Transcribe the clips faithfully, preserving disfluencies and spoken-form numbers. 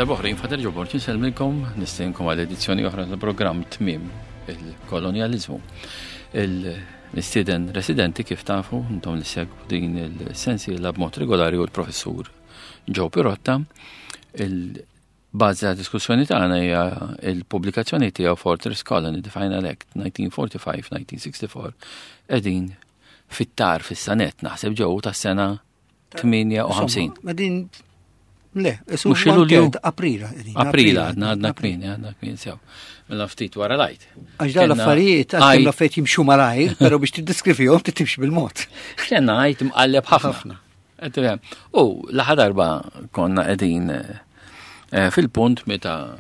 Għal darb'oħra jien Father Ġoborġ insellmilkom, nistedinkom għal edizzjoni oħra tal-programm Tmiem il-Kolonjaliżmu. Il-mistieden residenti, kif tafu, intom li ssegwu din il-sensiela b'mod regolari, u l-professur Joe Pirotta. Il-bażi ta' diskussjoni tagħna hija il-pubblikazzjoni tiegħu Fortress Colony, The Final Act nineteen forty-five nineteen sixty-four. Qegħdin fit-tar fis-sanet naħseb ġew tas-sena tmienja u ħamsin. Ma din le, mhux Lulju. Aprila. Aprila, għadna għadna kmieni, għadna kmieni sew. Mela ftit wara l-Għid. Għax dawn l-affarijiet, għax l-affarijiet jimxu malajr, pero biex tiddeskrivihom timxi bil-mod. Kellna Għid mqalleb ħafna. U l-aħħar darba konna qegħdin eh, fil-punt meta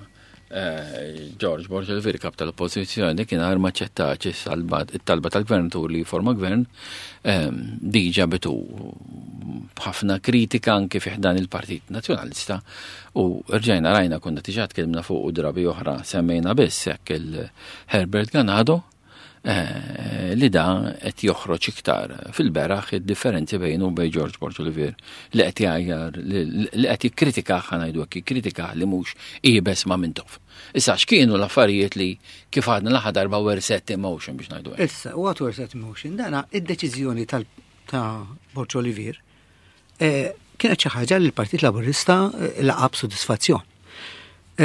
eh, George Borg Olivier, kap tal-oppozizjoni, kien għar maċċettax it-talba tal-gvernatur li forma gvern, ehm, diġa bitu ħafna kritika anke fi ħdan il-Partit Nazzjonalista, u rġajna rajna, konna diġà tkellimna fuq u drabi oħra semmejna biss hekk, il-Herbert Ganado eh, li da qed joħroġ iktar fil-beraħ id-differenzi bejnu u bejn George Borg Olivier, li qed jgħajjar, li qed jikkritika, ħa ngħidu hekk, jikkritika li mhux iebes ma' Mintoff. Issa, x'kienu l-affarijiet li, kif għadna l-aħħar darba, were set in motion, biex ngħidu hekk? Issa, what were set in motion, dana id-deċiżjoni tal ta' Borg Olivier eh, kienet xi ħaġa li l-Partit Laburista eh, laqa' b'sodisfazzjon.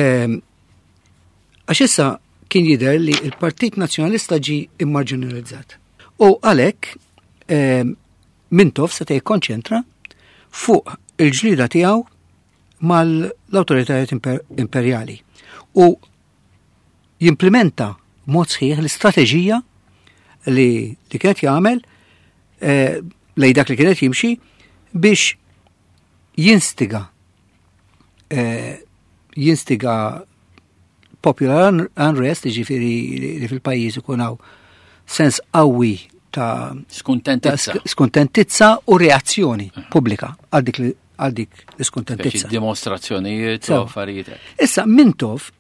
Ehm, għax issa kien jidher li l-Partit Nazzjonalista ġi immarġinalizzat. U għalhekk ehm, Mintoff seta' jikkonċentra fuq il-ġlida tiegħu mal-awtoritajiet imperjali u jimplementa mod sħiħ l-istrateġija li, li kienet jagħmel eh, lej dak li kienet jimxi biex jinstiga eh, jinstiga popular unrest, ġifiri li fil-pajjiż ikun hawn sens qawwi ta' skuntentizza. Skuntentizza u reazzjoni pubblika għal dik għal dik l-iskuntentizza. Dimostrazzjonijiet u affarijiet. Issa, Mintoff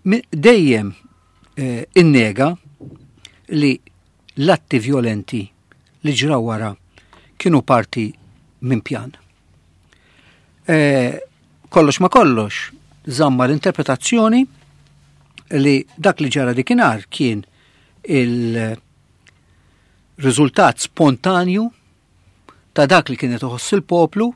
dejjem eh, innega li l-atti violenti li ġraw wara kienu parti minn pjan. Eh, kollox ma kollox, żamm l-interpretazzjoni li dak li ġara dikinhar kien il-riżultat spontanju ta' dak li kienet iħoss il-poplu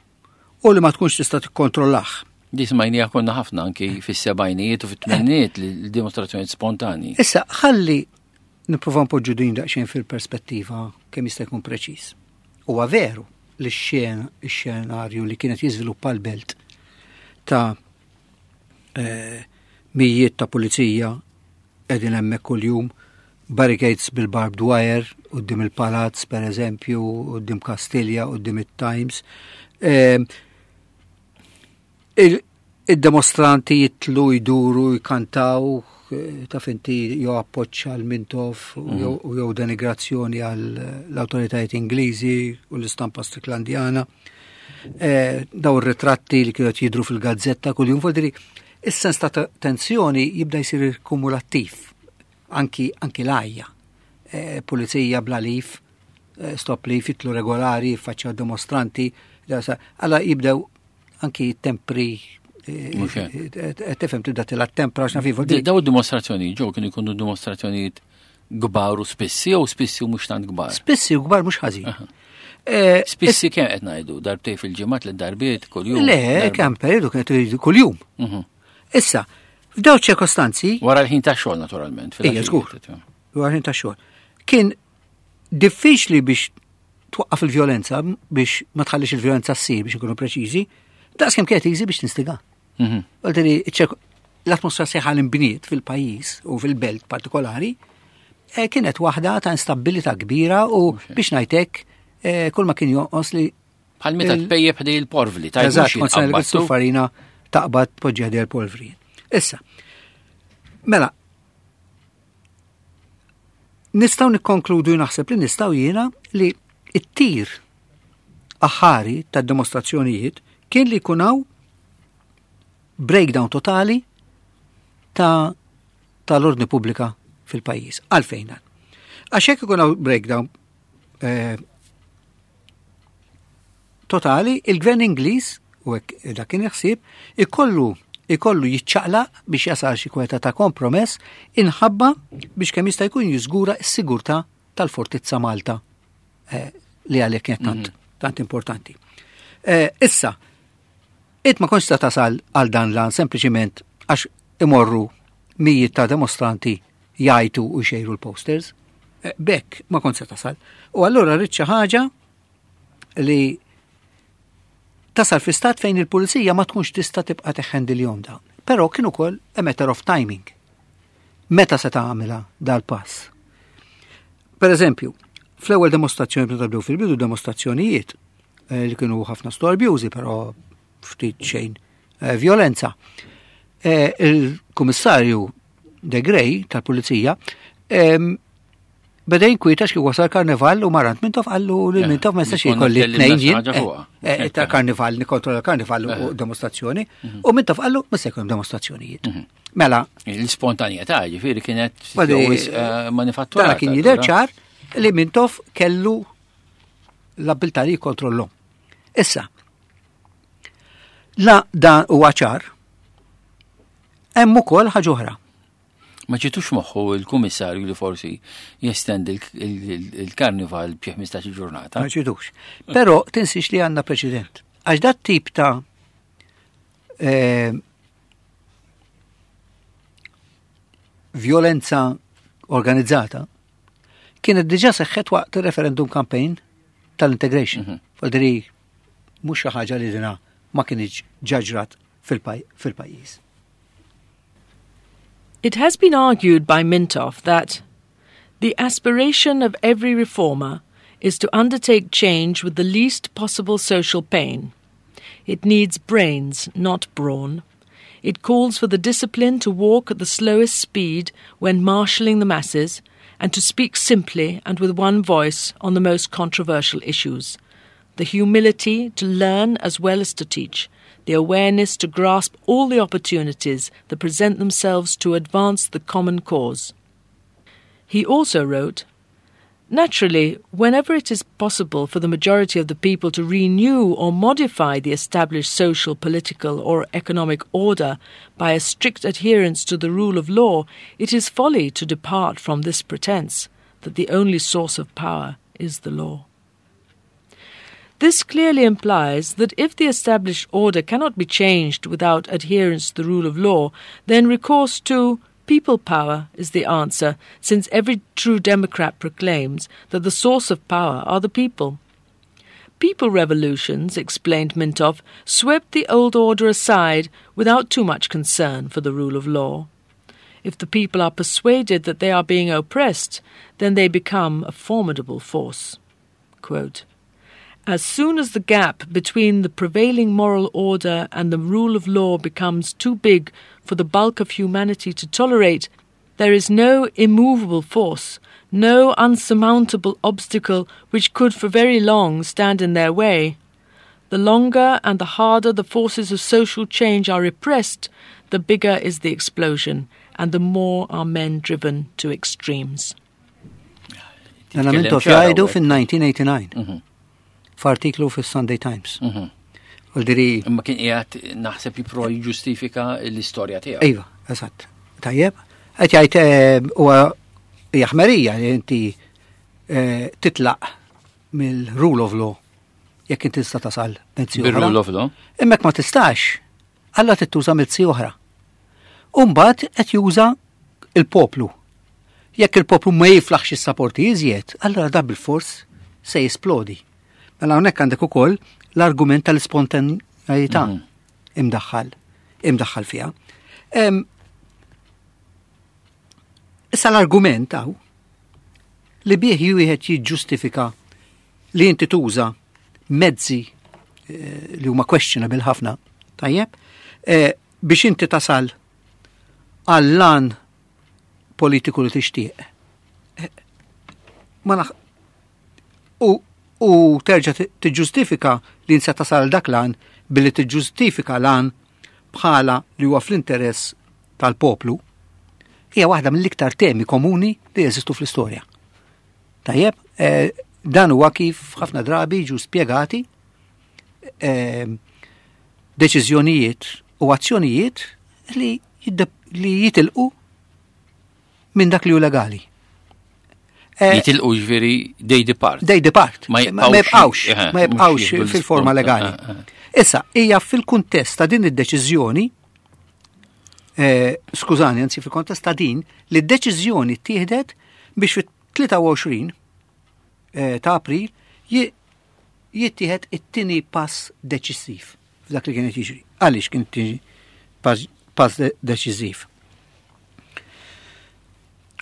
u li ma tkunx tista' tikkontrollah. Di smajnija konna ħafna anki fis-sebgħinijiet u fit-tmeninijiet, li dimostrazzjonijiet spontani. Issa, ħalli nipprova npoġġu din daqsxejn fil-perspettiva kemm jista' jkun preċiż. Huwa veru li x-xenarju li kienet jiżviluppa l-belt ta' eh, mijiet ta' pulizija qegħdin hemmhekk kuljum, barricades bil-barbed wire quddiem il-palazz, per eżempju, quddiem Kastilja, quddiem it-Times. Eh, Il-demostranti jitlu, jduru, jkantaw, eh, ta' finti jew appoġġ għal Mintoff u jew denigrazzjoni għall awtoritajiet Ingliżi u l-istampa Stricklandjana. Eh, daw ir-ritratti li kienu jidru fil-gazzetta kuljum, vuol is-sens ta' tensjoni jibda jsir kumulattiv, anki, anki l-għajja. Eh, pulizija bla leave, stop leave, jitlu regolari, faċċa dimostranti, għalla jibdew anki tempri, tifhem, tibda tila tempra x'na fivu. Daw dimostrazzjoni ġew kienu jkunu dimostrazzjonijiet kbar u spissi jew spissi u mhux tant kbar? Spissi u kbar mhux ħażin. Eh, spissi kemm qed ngħidu? Darbtej fil-ġimgħat, li darbiet kuljum? Le, kemm periodu kienet kuljum. Mhm. Issa, f'daw ċirkostanzi. Wara l-ħin ta' xogħol naturalment. Ija, żgur. Wara l-ħin ta' xogħol. Kien diffiċli biex twaqqaf il-vjolenza, biex ma tħallix il-vjolenza ssir, biex nkunu preċiżi, daqs kemm kienet easy biex tinstiga. Mhm. Għalteri, l-atmosfera sħiħa l-imbniet fil-pajjiż u fil-belt partikolari eh, kienet waħda ta' instabilità kbira u, biex ngħidlek, eh, kull ma kien jonqos li Bħal meta tpejjep ħdej il-porvli. Eżatt, kont farina taqbad poġġi ħdej il-polvri. Issa, mela, nistgħu nikkonkludu, naħseb li nistgħu jiena, li it-tir aħħari tad-dimostrazzjonijiet kien li jkun hawn breakdown totali ta' tal-ordni pubblika fil-pajjiż. Għalfejn dan? Għax hekk ikun hawn breakdown eh, totali, il-gvern Ingliż, u hekk dak kien ħsieb, ikollu ikollu jiċċaqlaq biex jasal xi kweta ta' kompromess inħabba biex kemm jista' jkun jiżgura s-sigurtà tal-Fortizza Malta eh, li għalhekk kienet tant, tant importanti. Eh, issa, it ma kontx ta' tasal għal dan l-għan sempliċiment għax imorru mijiet ta' demostranti jgħajtu u jxejru l-posters. Eh, Bekk ma kontx se tasal. U allura rrid xi ħaġa li tasal fi stat fejn il-pulizija ma tkunx tista' tibqa' teħħendilhom dawn. Però kien ukoll a matter of timing. Meta se tagħmilha dal-pass? Per eżempju, fl-ewwel demostrazzjoni meta bdew fil-bidu demostrazzjonijiet eh, li kienu ħafna storbjużi, però ftit xejn eh, violenza. Eh, Il-kummissarju De Grey tal-Pulizija em, beda jinkwieta xi wasal karnival u mar għand Mintoff qallu lil Eh, Mintoff ma jistax konna jkolli tkellimna tnejn xi jien ħaġa eh, fuqha. eh, ta' karnival, nikkontrolla karnival u demostrazzjoni u Mintoff qallu ma se jkun hemm demostrazzjonijiet. Mela, L-spontanjetà ġifieri kienet Wadi- eh, manifatturata. Dana kien jidher ċar li Mintoff kellu l-abilità li jikkontrollhom. Issa, la dan huwa ċar, hemm ukoll ħaġa oħra. Ma ġietux moħħu il-kummissarju li forsi jestendi il-karnival b'xi ħmistax ġurnata. Ma ġietux. Però tinsix li għandna preċedent. Għax dat tip ta' eh, violenza organizzata kienet diġa seħħet waqt il-referendum campaign tal-integration. Mm -hmm. Faldiri, mhux xi ħaġa li dina ma kienx ġaġrat fil-pajjiż. It has been argued by Mintoff that the aspiration of every reformer is to undertake change with the least possible social pain. It needs brains, not brawn. It calls for the discipline to walk at the slowest speed when marshalling the masses and to speak simply and with one voice on the most controversial issues. The humility to learn as well as to teach, the awareness to grasp all the opportunities that present themselves to advance the common cause. He also wrote, Naturally, whenever it is possible for the majority of the people to renew or modify the established social, political, or economic order by a strict adherence to the rule of law, it is folly to depart from this pretense that the only source of power is the law. This clearly implies that if the established order cannot be changed without adherence to the rule of law, then recourse to people power is the answer, since every true Democrat proclaims that the source of power are the people. People revolutions, explained Mintoff, swept the old order aside without too much concern for the rule of law. If the people are persuaded that they are being oppressed, then they become a formidable force. Quote, As soon as the gap between the prevailing moral order and the rule of law becomes too big for the bulk of humanity to tolerate, there is no immovable force, no unsurmountable obstacle which could for very long stand in their way. The longer and the harder the forces of social change are repressed, the bigger is the explosion, and the more are men driven to extremes. Dana Mintoff jgħidu fin-nineteen eighty-nine f'artiklu fis-Sunday Times. U diri Imma kien qiegħed naħseb jipprova jiġġustifika l-istorja tiegħu. Iva, eżatt. Tajjeb, qed jgħid eh, huwa hija ħmerija li inti eh, titlaq mill-rule of law jekk inti tista' tasal mezzi oħra. Bir-rule of law. Imma jekk ma tistax, alla tittuża mezzi oħra. Umbagħad qed juża il-poplu. Jekk il-poplu ma jiflaħx is-sapporti iżjed, allora da bil-fors se jisplodi. Mela hawnhekk għandek ukoll l-argument tal-ispontaneità imdaħħal, imdaħħal fiha. Em, Issa l-argument hawn li bih wieħed jiġġustifika li inti tuża mezzi eh, li huma questionable ħafna, tajjeb, eh, biex inti tasal għall-għan politiku li tixtieq. Eh, Ma naħ u, u terġa' ti- tiġġustifika li insa tasal dak l-għan billi tiġġustifika l-għan bħala li huwa fl-interess tal-poplu, hija waħda mill-iktar temi komuni li jeżistu fl-istorja. Tajjeb, eh, dan huwa kif ħafna drabi ġu spjegati eh, deċiżjonijiet u azzjonijiet li, li jitilqu minn dak li hu legali. Eh, jitilqu ġifieri they depart. They depart. Ma jibqawx, ma jibqawx fil-forma legali. Eh, eh. Issa, hija fil-kuntest ta' din id-deċiżjoni, skużani, anzi fil-kontest ta' din, li d-deċiżjoni ttieħdet biex fit-tlieta u għoxrin ta' April jittieħed it-tieni pass deċiżiv f'dak li kienet jiġri. Għaliex kien tiġi pass deċiżiv?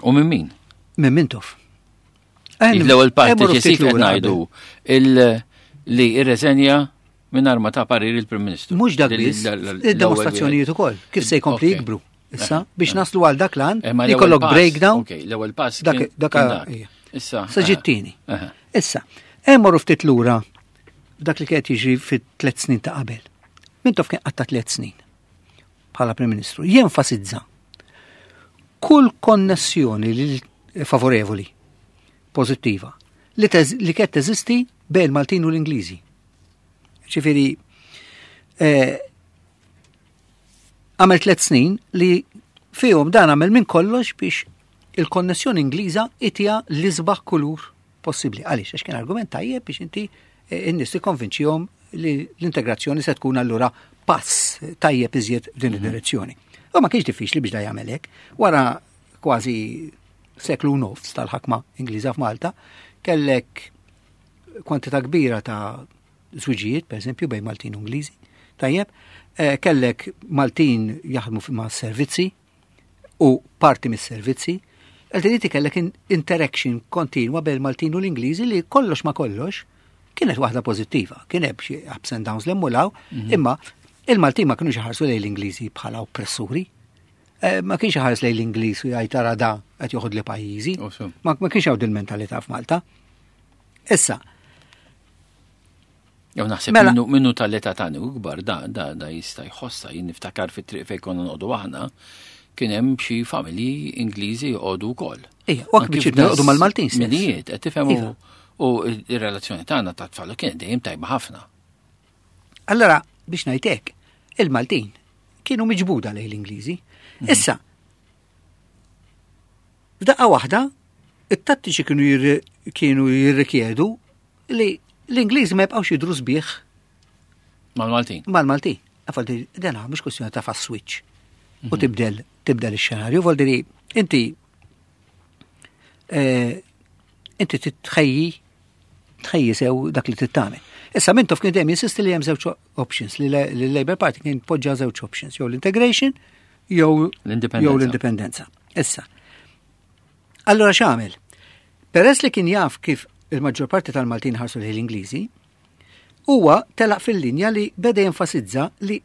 U minn min? Minn Mintoff. L-ewwel pass deċiżiv qed ngħidu li irreżenja minn ma ta parir il-Prim Ministru. Mhux dak biss, id-demostrazzjonijiet ukoll, kif se jkompli jikbru. Issa, biex naslu għal dak l-għan, eh, li jkollok breakdown. L-ewwel pass. Dak. Issa. Sa ġittini. Issa, emmorru ftit lura dak li kienet jiġri fit tliet snin ta' qabel. Mintoff kien qatta tliet snin bħala Prim Ministru. Jenfasizza kull konnessjoni li favorevoli, pozittiva, li, li kienet teżisti bejn Maltin u l-Ingliżi. Ġifieri, eh, għamel tliet snin li fihom dan għamel minn kollox biex il-konnessjoni Ingliża itiha l-isbaħ kulur possibbli. Għaliex? Għax kien argument tajjeb biex inti eh, in-nies tikkonvinċihom li l-integrazzjoni se tkun allura pass tajjeb iżjed f'din mhm. id-direzzjoni. U ma kienx diffiċli biex da jagħmel hekk. Wara kważi seklu nofs tal-ħakma Ingliża f'Malta, kellek kwantità kbira ta' żwiġijiet, per eżempju, bejn Maltin u Ingliżi. Tajjeb, eh, kellek Maltin jaħdmu ma' servizzi u parti mis-servizzi. Għaltiniti kellek interaction kontinwa bejn Maltin u l-Ingliżi li kollox ma kollox kienet waħda pożittiva. Kien hemm xi ups and downs l-emmulaw, mhm. imma il-Maltin ma kienux iħarsu lejn l-Ingliżi bħala oppressuri. Eh, ma kienx iħares lejn l-Ingliż u jgħid, "Ara da qed joħod li pajjiżi." Ma kienx hawn il-mentalità f'Malta. Issa, Jew naħseb mela, minnu, minnu tal-età tagħni u kbar da da da jista' jħossa. Jien niftakar fit-triq fejn konna noqogħdu aħna kien hemm xi familji Ingliżi joqogħdu wkoll. Ija, u anke biex joqogħdu mal-Maltin stess. Minijiet, qed tifhem, iva. U ir-relazzjoni tagħna ta' tfal kienet dejjem tajba ħafna. Allora, biex ngħidlek, il-Maltin kienu miġbuda lejn l-Ingliżi. Mhm. Issa, f'daqqa waħda, it-tattiċi kienu kienu jirrikjedu li l-Ingliżi ma jibqgħux jidru sbieħ mal-Maltin. Mal-Maltin. Għafaldi, dena mhux kwestjoni ta' fast switch. U mhm. tibdel tibdel ix-xenarju, voldiri inti eh, inti titħejji tħejji sew dak li tittamel. Issa Mintoff kien dejjem jinsisti li hemm żewġ options, li l-Labour Party kien poġġa żewġ options, jew l-integration jew l-indipendenza. Issa. Allora x'għamel? Peress li kien jaf kif il-maġġor parti tal-Maltin ħarsu l-Ingliżi, huwa telaq fil-linja li beda jenfasizza li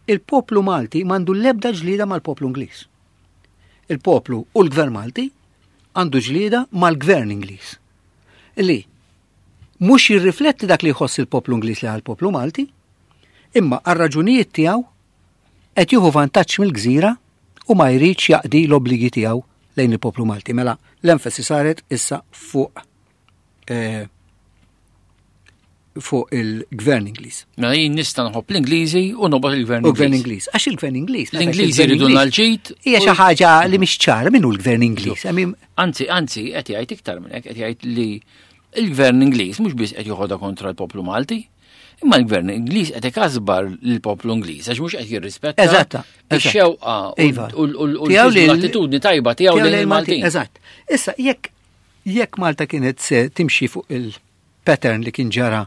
il-poplu Malti m'għandu l-ebda ġlida mal-poplu Ingliż. Il-poplu u l-gvern Malti għandu ġlida mal-gvern Ingliż. Li mhux jirrifletti dak li jħoss il-poplu Ingliż li għal-poplu Malti, imma għal raġunijiet tiegħu qed jieħu vantaġġ mill-gżira u ma jridx jaqdi l-obbligi tiegħu lejn il-poplu Malti. Mela l-enfasi saret issa fuq eh, fuq il-gvern Ingliż. Mela jien nista' nħobb l-Ingliżi u nobgħod il-gvern U gvern Ingliż. Għax il-gvern Ingliż. L-Ingliżi jridu l-ġid. Hija xi ħaġa li mhix ċara min hu l-gvern Ingliż. I mean, Anzi, anzi, qed jgħid iktar minn hekk, qed jgħid li il-gvern Ingliż mhux biss qed joħodha kontra l-poplu Malti, imma l-gvern Ingliż qed ikasbar lill-poplu Ingliż għax mhux qed jirrispetta Eżatta, eżatt. ix-xewqa u Iva. u- u u Tiegħu li- l-attitudni tajba tiegħu lejn il-Maltin. Eżatt. Issa, jekk jekk Malta kienet se timxi fuq il-pattern li kien ġara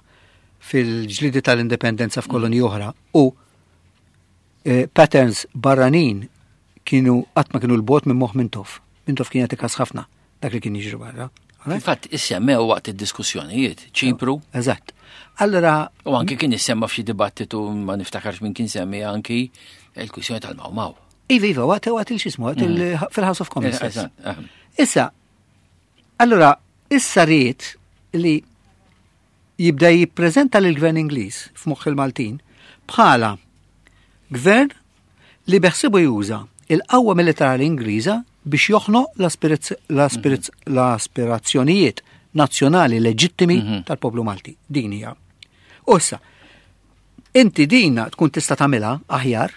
fil-ġlidi tal-indipendenza f'kolonji oħra u eh, patterns barranin kienu qatt ma kienu 'l bogħod minn moħħ Mintoff. Mintoff kien jagħti kas ħafna dak li kien jiġri barra. Alright? Infatti, issemmew waqt id-diskussjonijiet, Ċipru, Eżatt. Allora, u anki kien issemma f'xi dibattitu, ma niftakarx min kien semmi, anki il-kwistjoni tal-Mau Mau. Iva, iva, waqt waqt il-xismu, waqt il- fil-House of Commons. stess. Eżatt, eh. Issa, allora, issa ried li jibda jippreżenta lill gvern Ingliż f'moħħ il-Maltin bħala gvern li beħsibu juża il-qawwa militari Ingliża biex joħnoq l-aspirazz- l-aspirazz- l-aspirazzjonijiet nazzjonali leġittimi tal-poplu Malti. Din hija. U issa, inti dina tkun tista' tagħmilha aħjar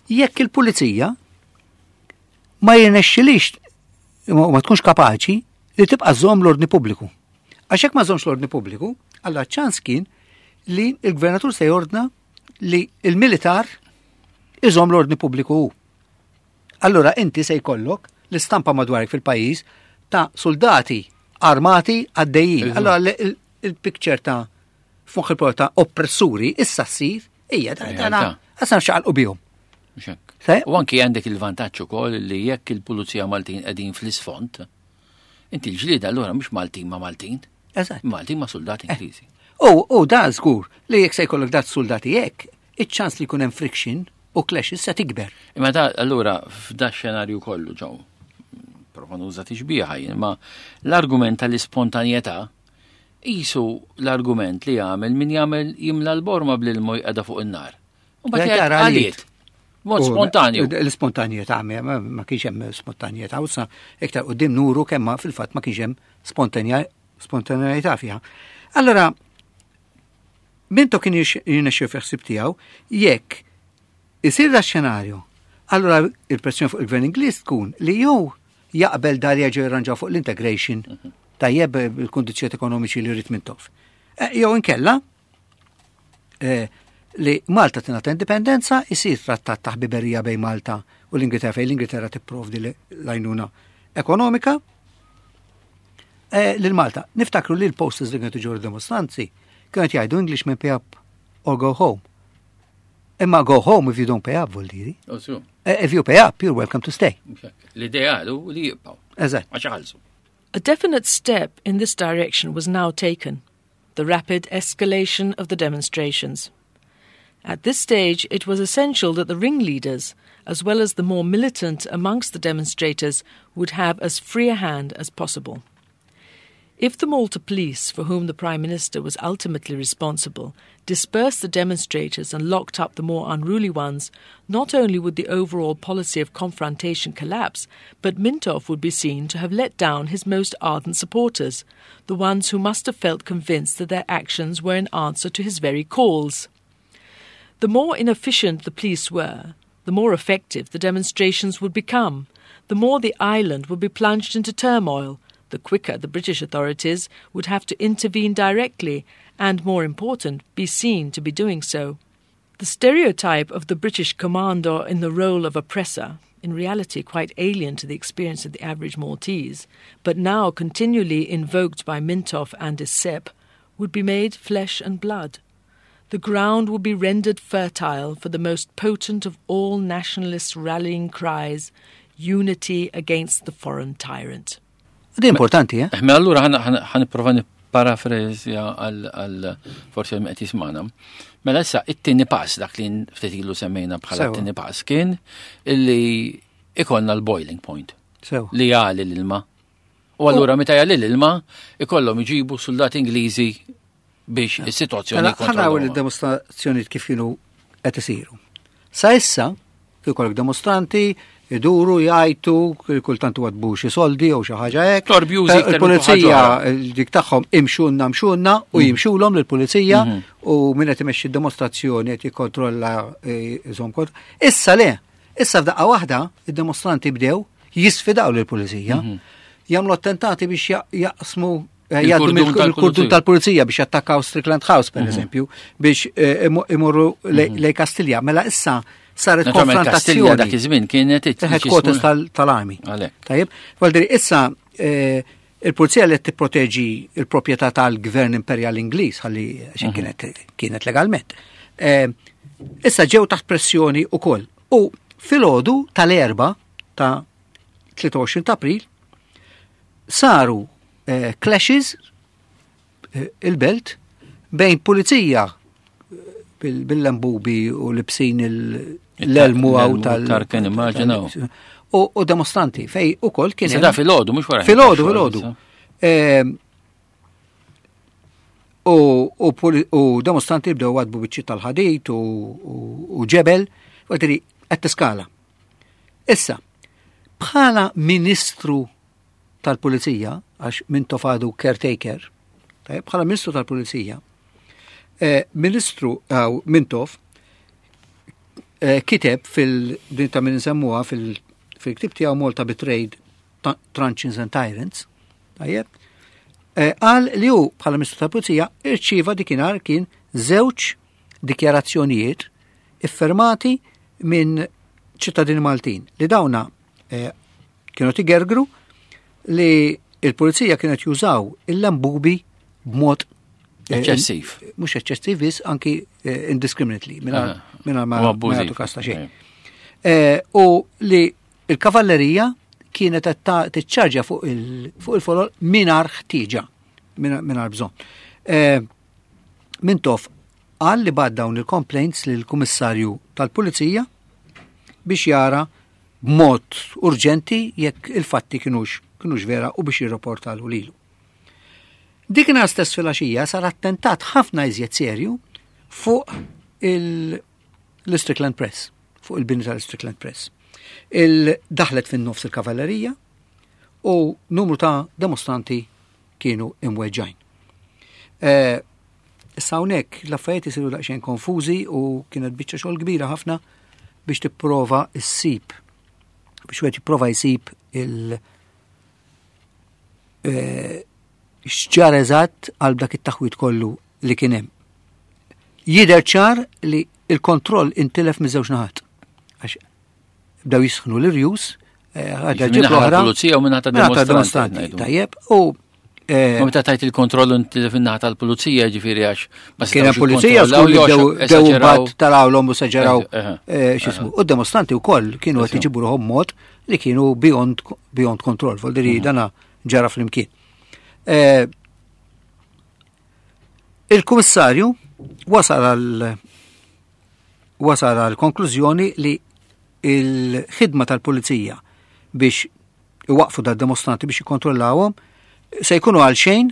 Jekk il-pulizija ma jirnexxilix ma ma tkunx kapaċi li tibqa' żomm l-ordni pubbliku. Għax jekk ma żommx l-ordni pubbliku, allura ċans kien li il-gvernatur se jordna li il-militar iżomm l-ordni pubbliku hu. Allura inti se jkollok l-istampa madwarek fil-pajjiż ta' soldati armati għaddejjin. Allura l- il- il-picture ta' fuq il ta' oppressuri issa ssir hija da Realtà. għasna xaqalqu bihom. Mhux hekk. Se? U anki għandek il-vantaġġ ukoll li jekk il-pulizija Maltin qegħdin fl-isfond, inti l-ġlieda allura mhux Maltin ma' Maltin, Eżatt. Maltin ma' soldati Ingliżi. U u da żgur li jekk se jkollok dat soldati hekk, iċ-ċans li jkun hemm friction u clashes se tikber. Imma da allura f'da xenarju kollu ġew prova nuża tixbiha jien, ma l-argument tal-ispontanjetà isu l-argument li jagħmel min jagħmel jimla l-borma bl-ilma jqegħda fuq in-nar. U mbagħad Jgħid jgħid ara għaliet. għaliet. Mod U- spontanju. L-ispontanjetà ma ma kienx hemm spontanjetà, u sa iktar qudiem nuru kemm ma fil-fatt ma kienx hemm spontanja spontanjetà fiha. Allora, Mintoff kien jirnexxi fi ħsieb tiegħu jekk isir da xenarju, allora il-pressjoni fuq il-gvern Ingliż tkun li jew jaqbel dal jerġgħu jirranġaw fuq l-integration tajjeb il-kundizzjonijiet ekonomiċi li jrid Mintoff. Eh, Jew inkella eh, li Malta tingħata indipendenza, isir trattat ta' ħbiberija bejn Malta u l-Ingilterra fejn l-Ingilterra tipprovdi l-għajnuna ekonomika eh, lil Malta. Niftakru li l-posters li kienu ġew dimostranzi kienu jgħidu Englishmen pay up or go home. Imma go home if you don't pay up, vuol diri. U su, Eh, If you pay up, you're welcome to stay. mhux hekk. L-ideal hu li jibqgħu. Eżatt. Għax iħallsu. A definite step in this direction was now taken the rapid escalation of the demonstrations. At this stage, it was essential that the ringleaders, as well as the more militant amongst the demonstrators, would have as free a hand as possible. If the Malta police, for whom the Prime Minister was ultimately responsible, dispersed the demonstrators and locked up the more unruly ones, not only would the overall policy of confrontation collapse, but Mintoff would be seen to have let down his most ardent supporters, the ones who must have felt convinced that their actions were in answer to his very calls. The more inefficient the police were, the more effective the demonstrations would become, the more the island would be plunged into turmoil, the quicker the British authorities would have to intervene directly and, more important, be seen to be doing so. The stereotype of the British commander in the role of oppressor, in reality quite alien to the experience of the average Maltese, but now continually invoked by Mintoff and his SEP, would be made flesh and blood. The ground would be rendered fertile for the most potent of all nationalist rallying cries, unity against the foreign tyrant. Di importanti, eh? Mela allura ħa nipprova nipparafrażja għal forsi għal qed jismana. Mela issa it-tieni pass dak li ftit ilu semmejna bħala Sewa. t-tieni pass kien illi ikollna l-boiling point Sew. li jagħli l-ilma. U allura meta jagħli l-ilma ikollhom iġibu soldati Ingliżi biex is-sitwazzjoni Mela, ħa naraw jikkontrollawha. il-demonstrazzjoni kif kienu qed isiru. Sa issa, ikollok demostranti, iduru, jgħajtu, kultant għadbu xi soldi jew xi ħaġa hekk. Torbjużi iktar minn Il-pulizija ħaġa dik tagħhom imxunna mxunna u jimxulhom lill-pulizija u min qed imexxi d-demostrazzjoni qed jikkontrolla eh, iżomm kont. Issa le, issa f'daqqa waħda id-demostranti bdew jisfidaw lill-pulizija. Jagħmlu attentati biex ja- jaqsmu eh, jgħaddu Il-kurdun mill- il-kurdun tal-pulizija. tal-pulizija biex jattakkaw Strickland House, per eżempju, biex eh, imu- imorru lej lej Kastilja. Mela issa saret Naturalment Kastilja dak konfrontazzjoni. iż-żmien kienet it- Headquarters tal- tal-army. Għalhekk. Tajjeb, Valdiri, issa eh, il-pulizija li tipproteġi il-proprjetà tal-gvern imperjal Ingliż, ħalli xi kienet kienet legalment. Eh, Issa ġew taħt pressjoni ukoll. U filgħodu tal-erba ta' tlieta u għoxrin ta' April saru eh, clashes eh, il-belt bejn pulizija eh, bil- bil-lambubi u libsin il- l-elmu għaw L-elmu tal- tarken, immaġinaw. U, u demostranti fej u kol kien Issa hemm- da filgħodu mhux wara. Filgħodu, filgħodu. Ehm, U, u, poli- u demostranti bdew għadbu biċċi tal-ħadid u, u, u ġebel, u għedri qed tiskala. Issa, bħala ministru tal-pulizija, għax Mintoff għadu caretaker, tajjeb, bħala ministru tal-pulizija, eh, ministru għaw Mintoff eh, kiteb fil-din ta' min nsemmuha fil-ktieb tiegħu Malta Betrayed, Truncheons and Tyrants, tajjeb, eh, qal li hu bħala Ministru tal-Pulizija irċieva dikinhar kien żewġ dikjarazzjonijiet iffirmati minn ċittadini Maltin li dawna eh, kienu jgergru li il-pulizija kienet jużaw il-lambubi b'mod eh, eċċessiv. Mhux eċċessiv biss, anki eh, indiscriminately, mingħajr ma jagħtu kas ta' xejn. U li il-kavallerija kienet tiċċarġa fuq il-folol mingħajr ħtieġa, mingħajr bżonn. Mintoff qal li bagħat dawn il-complaints lill-Kummissarju tal-Pulizija biex jara b'mod urġenti jekk il-fatti kienux kienux vera u biex jirrapportalu lilu. Dikinhar stess filgħaxija sar attentat ħafna iżjed serju fuq l-Strickland Press, fuq il-bini tal-Strickland Press. Il-daħlet fin-nofs il-kavallerija u numru ta' demonstranti kienu imweġġajn. Eh, issa hawnhekk l-affarijiet isiru daqsxejn konfużi u kienet biċċa xogħol kbira ħafna biex tipprova ssib biex wieħed jipprova jsib il eh, x'ġara eżatt għal dak it-taħwit kollu li kien hemm. Jidher ċar li il-kontroll intilef miż-żewġ naħat. Għax bdew jisħnu l-irjus, eh, għadha ġib l-oħra. Pulizija u min-naħa demonstranti. Tajjeb, u Eh, Ma meta tajt il-kontroll intilef in-naħa tal-pulizija, ġifieri għax ma kien hemm pulizija żgur li bdew mbagħad tarawlhom u seġeraw eh, x'ismu. U d-demonstranti wkoll kienu qed iġibu ruħhom mod li kienu beyond beyond control, voldiri mhm. dana ġara flimkien. Eh, il-kummissarju wasal għal wasal għal konklużjoni li il-ħidma tal-pulizija biex iwaqfu dad-demonstranti, biex jikkontrollawhom, se jkunu għal xejn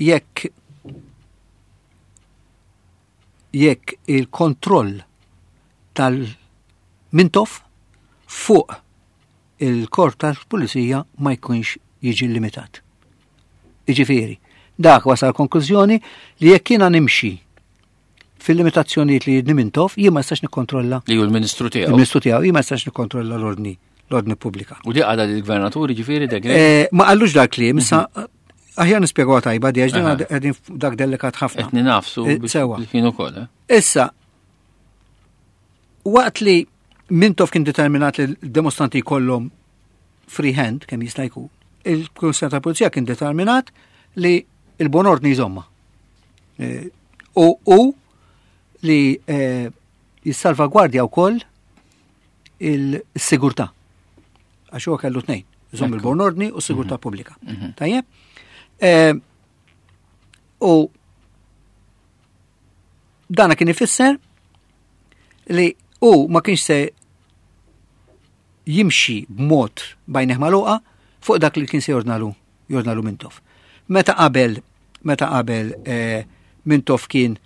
jekk jekk il-kontroll tal-Mintoff fuq il-korp tal-pulizija ma jkunx jiġi limitat. Iġifieri, dak wasal konklużjoni li jekk jiena nimxi fil-limitazzjonijiet li jridni Mintoff, jien ma nistax nikkontrolla. Li hu l-ministru tiegħu. Il-ministru tiegħu, jien ma nistax nikkontrolla l-ordni l-ordni pubblika. U di għadha lill-gvernatur, ġifieri, De Grey? Eh, ma qallux dak li, issa aħjar nispjegaw tajba di għax din qegħdin dak delikat ħafna. Qed nafsu eh, sewa. Li kienu ukoll. Eh? Issa, waqt li Mintoff kien determinat li l-demonstranti jkollhom free hand kemm jista' jkun, il-Kummissarju tal-Pulizija kien determinat li il-bon ordni jżomma. Eh, U u li eh, jissalvagwardja wkoll il-sigurtà. Għax huwa kellu tnejn, iżomm il-bon ordni u s-sigurtà pubblika. Tajjeb? Eh, U dana kien ifisser li u ma kienx se jimxi b'mod b'għajnejh magħluqa fuq dak li kien se jordnalu jordnalu Mintoff. Meta qabel meta qabel eh, Mintoff kien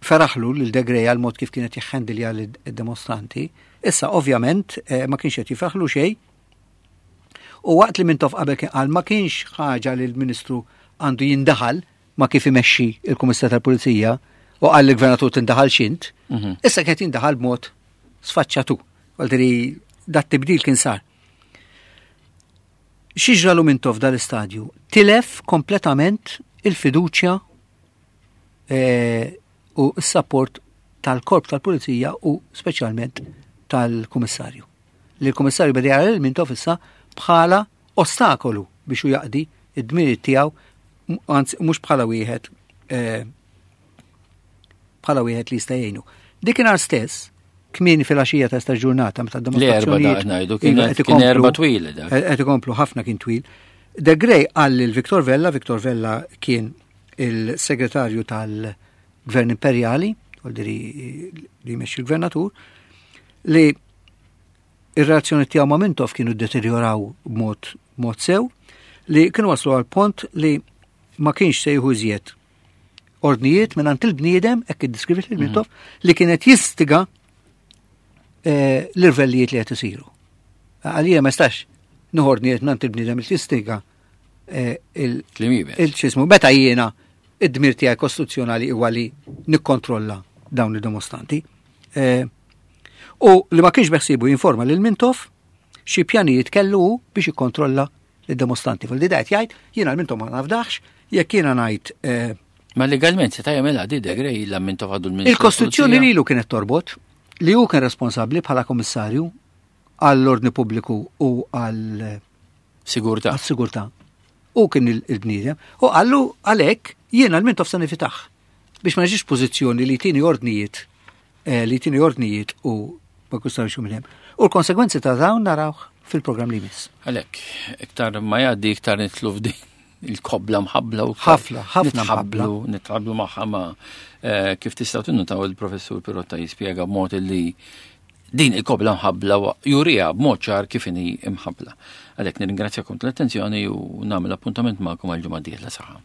feraħlu lil De Grey għal mod kif kienet jiħħendilja l-demonstranti, issa ovvjament eh, ma kienx qed jifraħlu xejn. U waqt li Mintoff qabel kien qal ma kienx ħaġa li l-Ministru għandu jindaħal ma kif imexxi il-Kummissar tal-Pulizija u qal l-Gvernatur tindaħal xint, issa kien jindaħal b'mod sfaċċatu. Għaldiri dat tibdil kien sar. X'ġralu Mintoff dal-istadju? Tilef kompletament il-fiduċja eh, u s-support tal-korp tal-pulizija u speċjalment tal-kummissarju. Li l-kummissarju beda jara lil Mintoff issa bħala ostakolu biex hu jaqdi id-dmirijiet tiegħu, anzi mhux bħala wieħed eh, bħala wieħed li jista' jgħinu. Dikinhar stess, kmieni fil-għaxija ta' ġurnata meta L-erba d-demonstrazzjonijiet da ngħidu, kien Iva, qed kien ikomplu- erba twil dak. qed ikomplu ħafna, kien twil. De Grey qal lil Victor Vella, Victor Vella kien il-segretarju tal-Gvern Imperjali, vuoldiri li jmexxi l-gvernatur, li ir-relazzjoni tiegħu ma' Mintoff kienu deterioraw b'mod mod sew, li kienu waslu għal pont li ma kienx se jieħu iżjed ordnijiet minn il-bniedem, hekk iddeskriviet lil Mintoff, li kienet jistiga eh, l-irvellijiet li qed isiru. Għalija ma stax nieħu ordnijiet minn il-bniedem li jistiga eh, il- Kliem iebes. il-ċismu. Meta jiena id-dmir tiegħi kostituzzjonali huwa li nikkontrolla dawn id-dimostranti. Eh, u li ma kienx beħsiebu jinforma lil Mintoff xi pjanijiet kellu hu biex jikkontrolla lid-dimostranti. Fil-didajt jgħid, jiena l-Mintoff ma nafdax, jekk jiena ngħid eh, Ma legalment se jagħmilha di Degrej la Mintoff għadu l-Ministru. Il-Kostituzzjoni lilu kienet torbot li hu kien responsabbli bħala kommissarju għall-ordni pubbliku u għall Sigurtà. Għas-sigurtà. U kien il-bniedem. U qallu għalhekk jiena l-Mintoff se nevitah biex ma niġix pożizzjoni li tini ordnijiet eh, li tini ordnijiet u ma kustarx minn hemm. U l-konsegwenzi ta' dawn narawh fil-programm li jmiss. Għalhekk, iktar ma jgħaddi iktar nidħlu f'din il-kobla mħabbla u Ħafna, ħafna nitħabblu, nitħabblu magħha ma eh, kif tistgħu tinnutaw, il-professur Pirotta jispjega b'mod li din il-kobla mħabbla wa- jurija b'mod ċar kif inhi imħabbla. Għalhekk nirringrazzjakom tal-attenzjoni u nagħmel appuntament magħkom għal ġimgħa dieħla saħħa.